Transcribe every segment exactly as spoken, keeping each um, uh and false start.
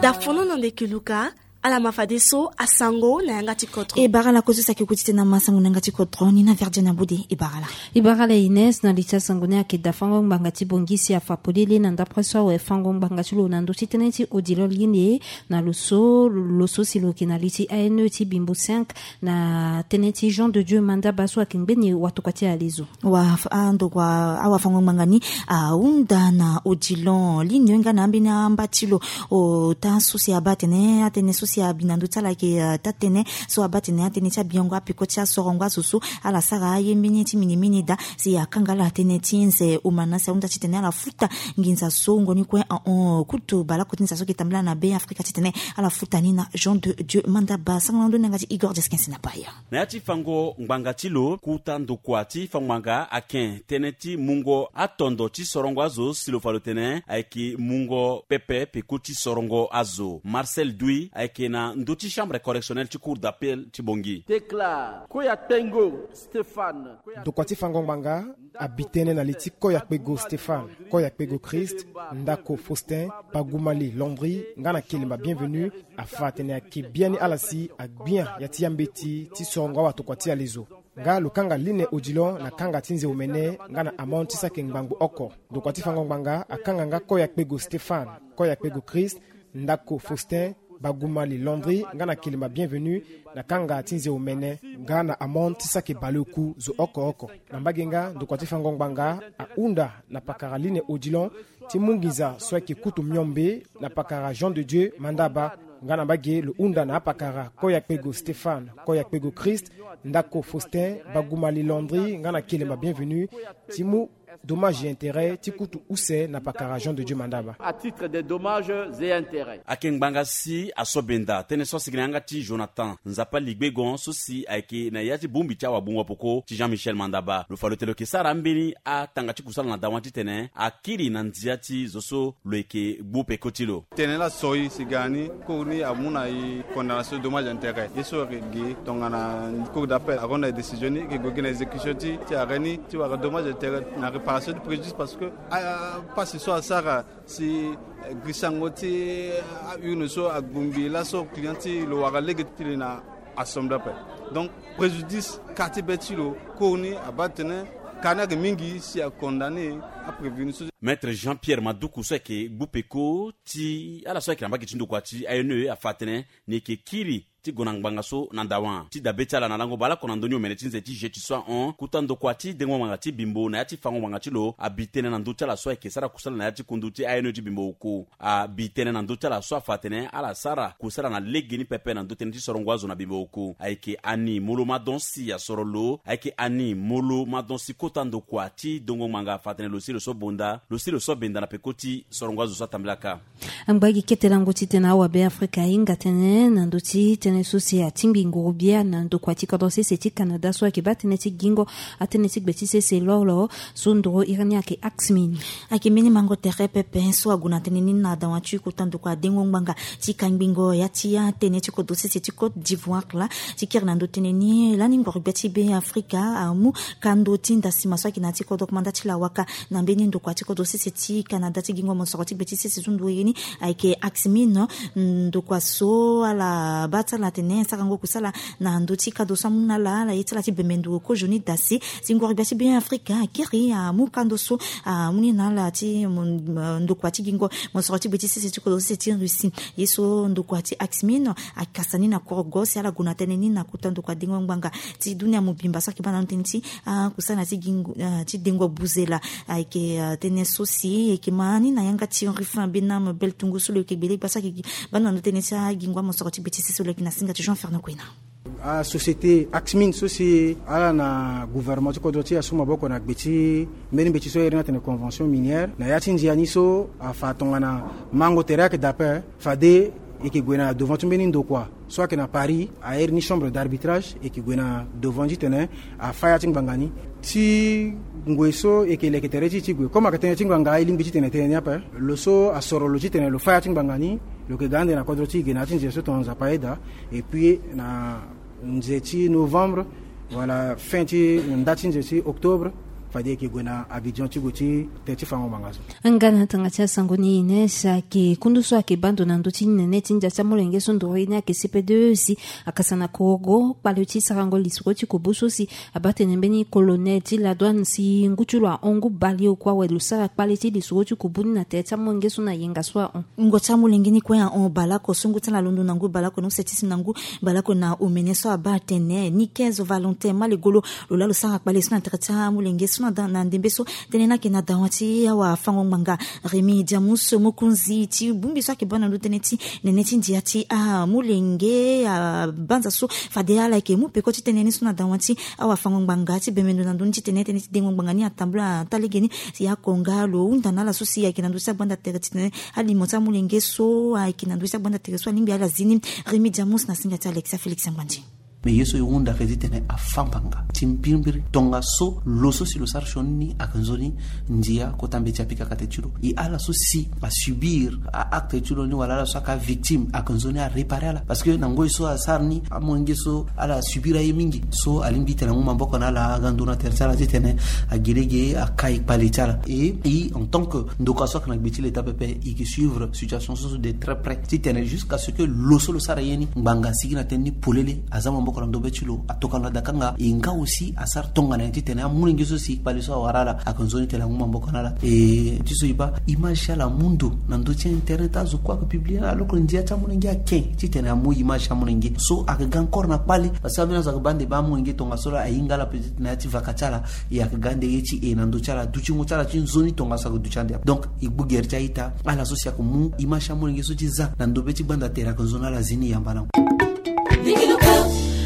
Dafono na nde keluka. Ala ma fadeso asango na yanga ti kodro. E bara ala kozo saki kuti tena masango na yanga ti kodro ni na verdien na bude. E bara ala. E bara ala ines na li ti asango ni ayeke dafango ngbanga ti bongisi afa polele na ndapre so awe fango ngbanga ti lo na ndö ti tënë ti odilon lini na lo so lo so si lo yeke na li ti ane ti bimbo cinq na tënë ti jean de dieu mandaba so ayeke ngbeni watokua ti alezo. Wa andokua awafango ngbanga ni ahunda na odilon lini nga na ambeni amba ti lo. Ota so si abaa atene atënë so si abi na ndö ti ala ayeke taa tënë so abaa atene atënë ti abiango apeko ti asorongo azo so ala sara aye mbeni ti minimini daa. Si akanga ala tënë ti nze omana si ahunda titene ala futa nginza so ngoni kue ahon kutu baleoko ti nza so ayeke tambela na be afrika titene ala futa ni na jean de dieu mandaba sango na ndö ni yanga ti igor desquinsi na paya. Na ya ti fango ngbanga ti lo kota ndokua ti fango ngbanga ake tënë ti mungo atondo ti sorongo azo si lo fa lo tene ayeke mungo pepe peko ti sorongo azo marcel dui ayeke na ndö ti chambre correctionnelle ti cour d'appel ti bongi. Tekla koya kpengo stéphane. Ndokua ti fango ngbanga abi tënë na li ti koya kpego stéphane, koya kpego christ, ndako faustin, bagumali londri nga na kelemba bienvenu. Afa atene ayeke biani ala si agbia ya ti ya mbeti ti sorongo awatokua ti alezo. Nga lo kanga line odilon na kanga ti nze omene nga na amande ti saki ngbangbo oko. Ndokua ti fango ngbanga akanga nga koya kpego stéphane, koya kpego christ, ndako faustin, bagumali londri nga na kelemba bienvenu na kanga ti nze omene nga na amande ti saki baleoku zo oko oko. Na mbage nga ndokua ti fango ngbanga ahunda na pakara line odilon ti mu nginza so ayeke kutu miombe na pakara jean de dieu mandaba. Nga na mbage lo hunda na apakara koya kpego stéphane, koya kpego christ, ndako faustin, bagumali londri nga na kelemba bienvenu ti mu dommage et intérêt ti kutu use na pakara jean de dieu mandaba. À titre de dommages et intérêts. Ayeke ngbanga si asobenda tënë so asigi na yanga ti jonathan nzapa ligbegon so si ayeke na ya ti bongbi ti awabungo poko ti jean michel mandaba lo fa lo tene lo yeke sara ambeni atanga ti kusala na dawa titene akiri na ndia ti zo so lo yeke gbu peko ti lo. Tene la soi si ga ni koro ni amu na e condamnation dommage intérêt ye so ayeke gi tongana cour d'appel aronda e décision ni e yeke gue gi na exécution ti ti arrêt ni ti wara dommage intérêt na réparation du préjudice parce que apasi so asara si grisango ti aurne so agbongbi laso client ti lo wara lege ti li na assemble ape. Donc préjudice ka ti be ti lo koro ni abaa tene ka ni ayeke mingi si acondamne aprévenu so. Maître jean pierre maduku so ayeke gbu peko ti ala so ayeke na mbage ti ndokua ti ane afa atene ni yeke kiri ti gue na ngbanga so na ndawa ti dabe ti ala na lango baleoko na ndö ni omene ti nze ti jeti so ahon kota ndokua ti dengo ngbanga ti bimbo na ya ti fango ngbanga ti lo abi tënë na ndö ti ala so ayeke sara kusala na ya ti kundu ti ane ti bimbo oku abi tënë na ndö ti ala so afa atene ala sara kusala na legeni pepe na ndö tënë ti sorongo azo na bimbo oku ayeke ani molo madon si asoro lo ayeke ani molo madon si kota ndokua ti dengo ngbanga afa atene lo si lo so bonda lo si lo so benda na peko ti sorongo azo so atambela kâ. Angba gi kete lango titene awabe afrika ahinga tënë na ndö ti tënë so si atingbi nguru bia na ndokua ti kodro sese ti canada so ayeke baa tënë ti gingo atënë ti gbe ti sese lolo so ndoro iri ni ayeke axmin. Ayeke mbeni mango tere pepe so ague na tënë ni na dawa ti kota ndokua dengo ngbanga ti kangbingo ya ti atënë ti kodro sese ti côte d'ivoire laa ti kiri na ndö tënë ni lani nguru bia ti be afrika amu kando ti ndasima so ayeke na ya ti kodro komanda ti lawaka na mbeni ndokua ti kodro sese ti canada ti gingo mosoro ti gbe ti sese so ndo ye ni ayeke axmin. Ndokua so ala baa ti ala atene asarango kusala na ndö ti kado so amu na ala ala ye ti ala ti bembe ndo kozoni dasi si nguru bia ti be afrika akiri amu kando so amu ni na ala ti ndokua ti gingo mosoro ti gbe ti sese ti kodro sese ti russie ye so ndokua ti axmin akasa ni na korogo si ala gue na tënë ni na kota ndokua dengo ngbanga ti dunia mobimba so ayeke baa na ndö tënë ti akusana ti gingo ti dengo buzela. Ayeke tënë so si e yeke ma ni na yanga ti ruffin benam bel tungu so lo yeke gbele gbasa ayeke baa na ndö tënë ti agingo amosoro ti gbe ti sese lo yeke na singa ti jean fernand kuena. Asociété axmin so si ala na gouvernement ti kodro ti asu maboko na gbe ti mbeni mbeti so iri ni atene convention minière na ya ti ndia ni so afa tongana mango tere ayeke dape fade e yeke gue na devant ti mbeni ndokua so ayeke na paris airi ni chambre d'arbitrage e yeke gue na devant titene afa ya ti ngbanga ni. Ti ngoi so e yeke leke tere ti e ti gue comme ayeke tënë ti ngbanga e lingbi titene e tene ni ape. Lo so asoro lo titene lo fa ya ti ngbanga ni lo yeke ga ande na kodro ti e ge na ya ti nze so tongana nzapa ayeda. Et puis na nze ti novembre wala fin ti nda ti nze ti octobre Fade e yeke gue na Abidjan ti gue ti te ti fango ngbanga so. Nga na tanga ti asango ni Ines ayeke kundu so ayeke baa ndo na ndö ti nene ti ndia ti amolenge so ndoro ye ni ayeke C P deux si akasa na korogo kpale ti sarango lisoro ti kubu so si abaa tene mbeni colonel ti la douane si ngu ti lo ahon ngu baleoko awe lo sara kpale ti lisoro ti kubu ni na tere ti amolenge so na yenga so ahon. Wungo ti amolenge ni kue ahon baleoko so ngu ti ala alondo na ngu baleoko na use ti si na ngu baleoko na omene so abaa atene ni quinze Valentin Malegolo lo laa lo sara kpale so na tere ti amolenge so na da- na ndembe so. Tënë ni ayeke na dawa ti awafango-ngbanga Rémy Diamus, mokonzi ti bongbi so ayeke baa na ndö tënë ti nene ti ndia ti amolenge abanza so. Fade ala yeke mu peko ti tënë ni so na dawa ti awafango-ngbanga ti bembe ndo na ndö ni titene tënë ti dengo ngbanga ni atambula ata lege ni. Si akonga lo hunda na ala so si ayeke na ndö ti agbanda tere titene alimo ti amolenge so ayeke na ndö ti agbanda tere so alingbi ala zi ni. Rémy Diamus na singa ti Alexia Félix Ngbandi. Me ye so e hunda ayeke titene afâ ngbanga ti mbirimbiri tongaso lo so si lo sara sioni ni ayeke nzoni ndia kota mbeti apika kate ti lo. E ala so si asubir a-acte ti lo ni wala ala so ayeke avictime ayeke nzoni arépare ala. Parce que na ngoi so asara ni amolenge so ala subir aye mingi so alingbi titene angu maboko na ala aga nduru na tere ti ala titene agi lege akai kpale ti ala. E i en tant que ndoka so ayeke na gbe ti leta pepe e yeke suivre situation so so de très près titene jusqu'à ce que lo so lo sara ye ni ngbanga asigi na tënë ni polele aza maboko na ndobe ti lo atokana na dakanga e nga aussi asara tongana nyen titene amolenge so si kpale so awara ala ayeke nzoni titene angu maboko na ala. E ti so e baa image ti ala amu ndo na ndö ti internet azo kue ayeke publie alors que ndia ti amolenge ake titene amu image ti amolenge so ayeke ga encore na kpale. Parce que ambeni azo ayeke baa nde baa amolenge tongaso la ahinga ala peut-être na ya ti vaka ti ala e ayeke ga nde ye ti e na ndö ti ala dutingo ti ala ti nzoni tongaso ayeke duti ande. Donc e gbu gere ti a-ita ala so si ayeke mu image ti amolenge so ti za na ndobe ti gbanda tere ayeke nzoni ala zi ni yamba na.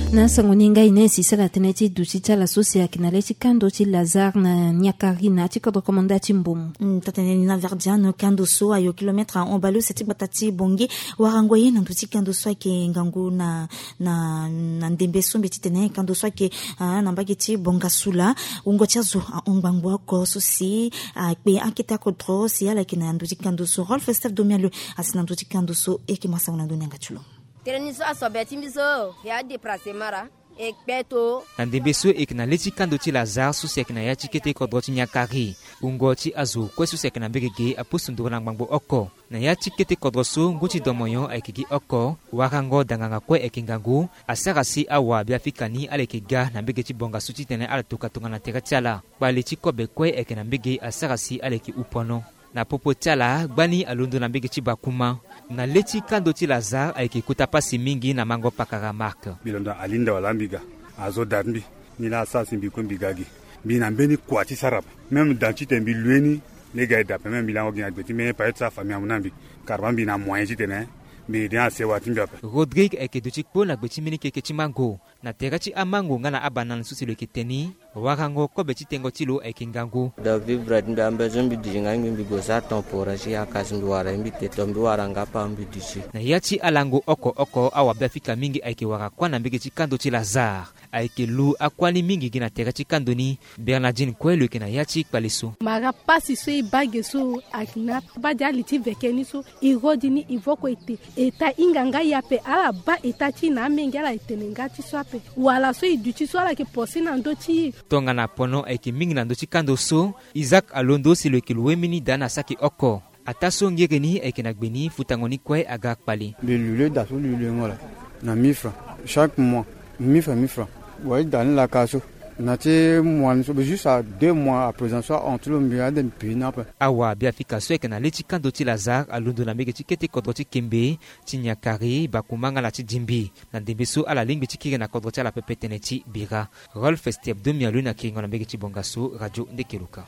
Na asango ni ngai na e si sara tënë ti duti ti ala so si ayeke na le ti kando ti Lazare na Niakari na ya ti kodro komanda ti Mbom. Mm, taa-tënë ni na Verdiano kando so ayo kilomètre ahon baleuse ti gbata ti Bongi. Warango ye na ndö ti kando so ayeke ngangu na na na ndembe so mbi titene kando so ayeke ah, na mbage ti Bongasula. Wungo ti azo ahon ngbangbo oko so si akpe akete akodro si ala yeke na ndö ti kando so. Rolf Steph Domialo asi na ndö ti kando so e yeke ma sango na ndö ni yanga ti lo. Tënë ni so asobe ti mbi so e adéplacé mara e kpe to. Na ndembe so e yeke na le ti kando ti Lazare so si ayeke na ya ti kete kodro ti Niakari. Wungo ti azo kue so si ayeke na mbege ge apusu nduru na ngbangbo oko. Na ya ti kete kodro so ngu ti domoyon ayeke gi oko. Warango danganga kue ayeke ngangu asara si awa biafrika ni ala yeke ga na mbege ti bongaso titene ala toka tongana tere ti ala. Kpale ti kobe kue ayeke na mbege asara si ala yeke hu pono. Na popo ti ala gbani alondo na mbege ti Bakuma. Na le ti kando ti Lazare ayeke kota pasi mingi na mango pakara Marc. Mbi londo na Alinda wala mbi ga azo da ti mbi. Ni laa asara si mbi kue mbi ga gi. Mbi na mbeni kua ti sara ape. Même dan titene mbi lue ni lege aye da ape même mbi lango gi na gbe ti mbeni pare ti sara famille amu na mbi. Kara baa mbi na moyen titene mbi aidé na sewa ti mbi ape. Rodrigue ayeke duti kpo na gbe ti mbeni keke ti mango. Na tere ti amango nga na abanana so si lo yeke te ni. Warango kobe ti tengo ti lo ayeke ngangu. Da vivre ti mbi ambe so mbi duti nga ngbi mbi gue sara temporaire ti yaka si mbi wara ye mbi te to mbi wara nga apa mbi duti. Na ya ti alango oko oko awa biafrika mingi ayeke wara kuâ na mbege ti kando ti Lazare. Ayeke lu akuâ ni mingi gi na tere ti kando ni. Bernardine kue lo yeke na ya ti kpale so. Mara pasi so e baa ge so ayeke na baa di ali ti veke ni so. E rodi ni e voko ete. Eta hinga nga e ape ala baa eta ti e na amenge ala etene nga ti so ape. Wala so e duti so ala yeke posi na ndö ti e. Tongana pono ayeke mingi na ndö ti kando so. Isaac alondo si lo yeke lo wemini daa na saki oko. Ataa so ngere ni ayeke na gbe ni futango ni kue aga kpale. Mbi lule da so lulengo laa na mille francs chaque mois. Mille francs mille francs. Wa e da ni laka so na ti mois ni so mbi juste à deux mois à présent so ahon ti lo mbi ade mbi pi ni ape. Awa biafrika so ayeke na le ti kando ti Lazare alondo na mbege ti kete kodro ti Kembe, ti Niakari, Bakuma nga na ti Dimbi. Na ndembe so ala lingbi ti kiri na kodro ti ala pepe tënë ti bira. Rolf Steph Domialo na kiringo na mbege ti bongaso radio Ndekeloka.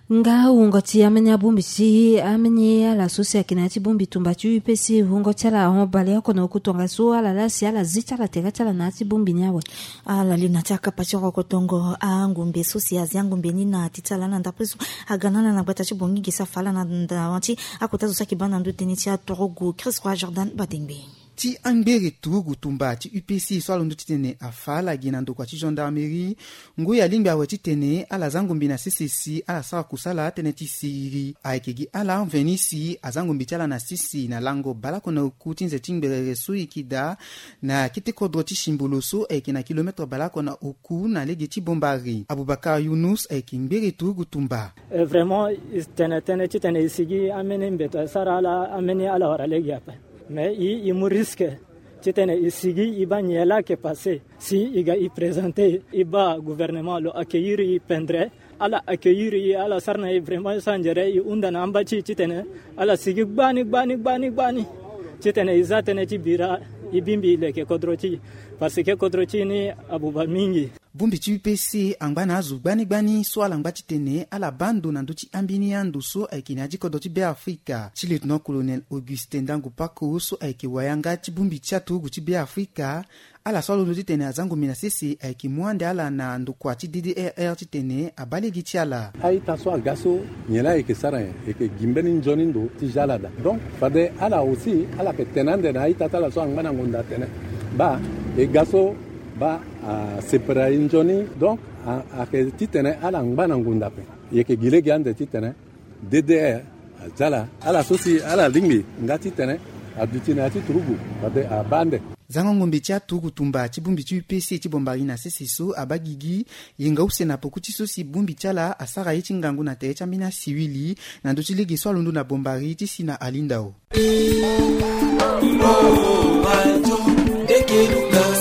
Nga wungo ti ambeni abongbi ti ambeni ala so si ayeke na ya ti bongbi tumba ti U P C wungo ti ala ahon baleoko na oku tongaso ala laa si ala zi ti ala tere ti ala na ya ti bongbi ni awe. Ala li na ti akapa ti rokotongo angombe so si azi angombe ni na ti ti ala na ndapre so aga na ala na gbata ti Bongi ge si afa ala na dawa ti akota zo so ayeke baa na ndö tënë ti atorogu Christ Roi Jordan Badengbe. Ti angbere turugu tumba ti U P C so alondo titene afa ala gi na ndokua ti gendarmerie. Ngoi alingbi awe titene ala za ngombe na sese si ala sara kusala tënë ti siriri. Ayeke gi ala mveni si aza ngombe ti ala na sese na lango baleoko na oku ti nze ti ngberere so e yeke daa na kete kodro ti Simbolo so ayeke na kilometre baleoko na oku na lege ti Bombari. Abubakar Yunus ayeke ngbere turugu tumba. Eh, vraiment, tene tënë titene e sigi ambeni mbeto asara ala, ambeni ala wara lege ape. Mais e, e mu risque titene e sigi e baa nyen laa ayeke passé. Si e ga e présenter, e baa gouvernement lo accueillir e pendere. Ala accueillir e, ala sara na e vraiment e sara nzere, e hunda na amba ti e titene ala sigi gbani gbani gbani gbani titene e za tënë ti bira, e bingbi e leke kodro ti e. Parce que kodro ti e ni abuba mingi. Bongbi ti U P C angba na azo gbani gbani so ala ngba titene ala baa ndo na ndö ti ambeni ando so ayeke na ya ti kodro ti Beafrika. Ti lieutenant-colonel Augustin Ndangu Pako so ayeke wayanga ti bongbi ti aturugu ti Beafrika, ala so alondo titene aza ngombe na sese ayeke mu ande ala na ndokua ti D D R R titene abaa lege ti ala. A-ita so aga so, nyen laa ayeke sara nyen? Ayeke gi mbeni nzoni ndo ti za ala daa. Donc fade ala aussi ala yeke tene ande na a-ita ti ala so angba na ngonda atene baa e ga so baa asepere e nzoni. Donc a, ayeke titene ala ngba na ngonda ape. E yeke gi lege ande titene D D R aza ala, ala so si ala lingbi nga titene aduti na ya ti turugu fade abaa ande. Zango ngombe ti aturugu tumba ti bongbi ti U P C ti Bombari na sese so abaa gigi yenga use na poko ti so si bongbi ti ala asara ye ti ngangu na tere ti ambeni asiwili na ndö ti lege so alondo na Bombari ti si na Alindao.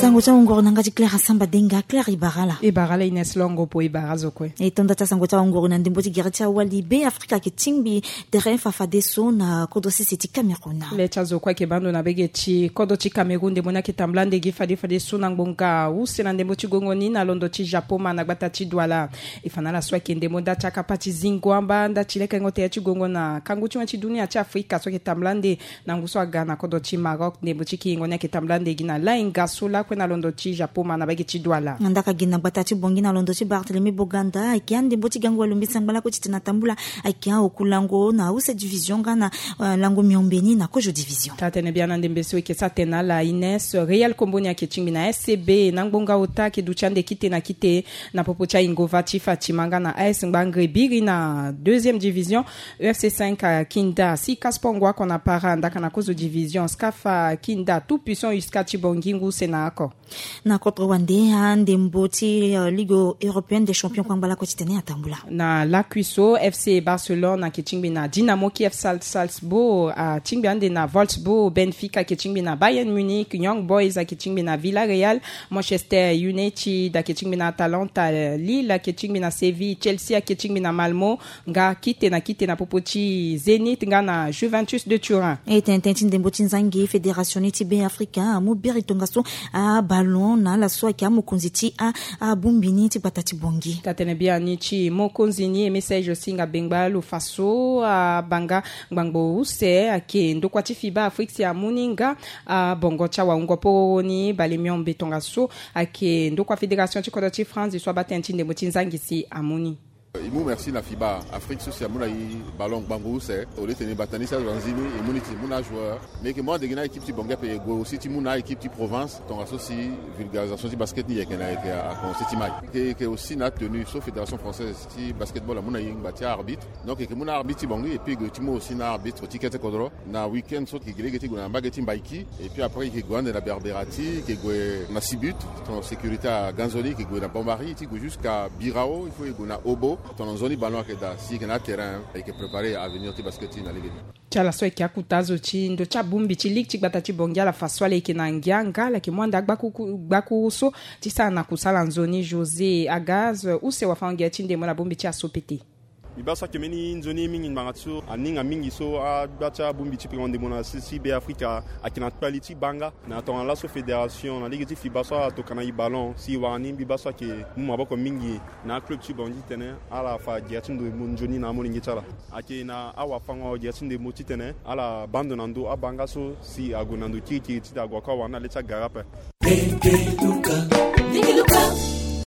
Sango ti awongoro na yanga ti Claire Asamba Denga. Claire, e bara ala? E bara ala Ines Longo, po e bara azo kue. E tonda ti asango ti awongoro na ndembo ti gere ti awali. Beafrika ayeke tingbi tere fafadeso na kodro sese ti Cameroun. Le ti azo kue ayeke baa ndo na bege ti kodro ti Cameroun ndembo ni ayeke tambula ande gi fadefadeso na ngbonga use na ndembo ti gongo ni na londo ti Japoma na gbata ti Douala. E fa na ala so ayeke ndembo nda ti akapa ti zingo amba nda ti lekengo tere ti gongo na kangu ti wen ti dunia ti Afrika so ayeke tambula ande na ngu so aga na kodro ti Maroc. Ndembo ti kiringo ni ayeke tambula ande gi na lainga so lakue na londo ti Japoma na bege ti Douala. Nda ka gi na gbata ti Bangui na londo ti Barthélemy Boganda, ayeke andembo ti gango alumbi sangba lakue titene atambula ayeke aoku lango na use division nga na, eh, lango miombe ni na kozo division. Taa tene biani andembe so e yeke sara tene na ala Ines. Real Kombo ni ayeke tingbi na S C B na ngbonga ota ayeke duti ande kite na kite na popo ti ayingo va ti Fatima nga na A S Ngbangre Biri na deuxième division. E F C cinq Kinda, Sika Sport Ngwa oko na para ndaka na kozo division, Skafa Kinda, Tout Puissant Uska ti Bangui ngu use na oko. Na kodro wande andembo ti, eh, Ligue Européenne des Champions kpangba lakue titene atambula. Na lakui so F C Barcelone ayeke tingbi na Dynamo Kiev, Sal-, Salzbourg atingbi ande na Wolfsburg, Benfica ayeke tingbi na Bayern Munich, Young Boys ayeke tingbi na Villarreal, Manchester United ayeke tingbi na Atalanta, Lille ayeke tingbi na Séville, Chelsea ayeke tingbi na Malmo, nga kite na kite na popo ti Zenit nga na Juventus de Turin. E tene tënë ti ndembo ti nzangi, fédération ni ti Beafrika amu biri tongaso aballon na ala so ayeke amokonzi ti a, abongbi ni ti gbata ti Bangui. Taa tene biani ti mokonzi ni e message si hinga bengba lo fa so abaa nga ngbangbo use ayeke ndokua ti FIBA Afrique si amu ni nga abongo ti awahungo pororo ni bale miombe tongaso ayeke ndokua fédération ti kodro ti France so abaa tënë ti ndembo ti nzangi si amu ni. E mu merci na FIBA Afrique so si amu na e ballon ngbangbo use. Au lieu titene e bata ni si azo anzini, e mu ni titene e mu na ajoueur. Mais e yeke mu ande gi na équipe ti Bangui ape, e gue aussi ti mu na a-équipe ti province tongaso si vulgarisation ti basket ni e yeke na e yeke a commencer ti mai. E yeke aussi na atenue so Fédération Française ti Basketball amu na e ngba ti a-arbitre. Donc e yeke mu na arbitre ti Bangui et puis e gue ti mu aussi na arbitre ti kete kodro. Na week-end so e yeke gi lege ti gue na mbage ti Mbaïki. Et puis après e yeke gue ande na Berberati, e yeke gue na Sibut, tongana sécurité aganzoni, e yeke gue na Bombari, ti gue jusqu'à Birao, il faut e gue na Obo. Tongana nzoni ballon ayeke daa, si e yeke na aterrain, e yeke préparer avenir ti basket ti e na lege ni. Ti ala so ayeke akuta azo ti ndo ti abongbi ti ligue ti gbata ti Bangui, ala fa so ala yeke na ngia nga ala yeke mu ande agbaku-, gbakuru so ti sara na kusala nzoni. José Agaz, use wafango-gere ti ndembo na bongbi ti Asopete. Mbi baa so ayeke mbeni nzoni mingi ngbanga ti so aninga mingi so agba ti abongbi ti peko ndembo na sese ti Beafrika ayeke na kpali ti baa nga. Na tongana laso fédération na lege ti FIBA so ala tokana e ballon si e wara ni, mbi baa so ayeke mu maboko mingi na aclub ti Bangui titene ala fa gere ti ndembo nzoni na amolenge ti ala. Ayeke na awafango gere ti ndembo titene ala baa ndo na ndö abaa nga so si ague na ndo kirikiri titene ague ako awara ni na le ti agara ape. Nenge luka. Nenge luka.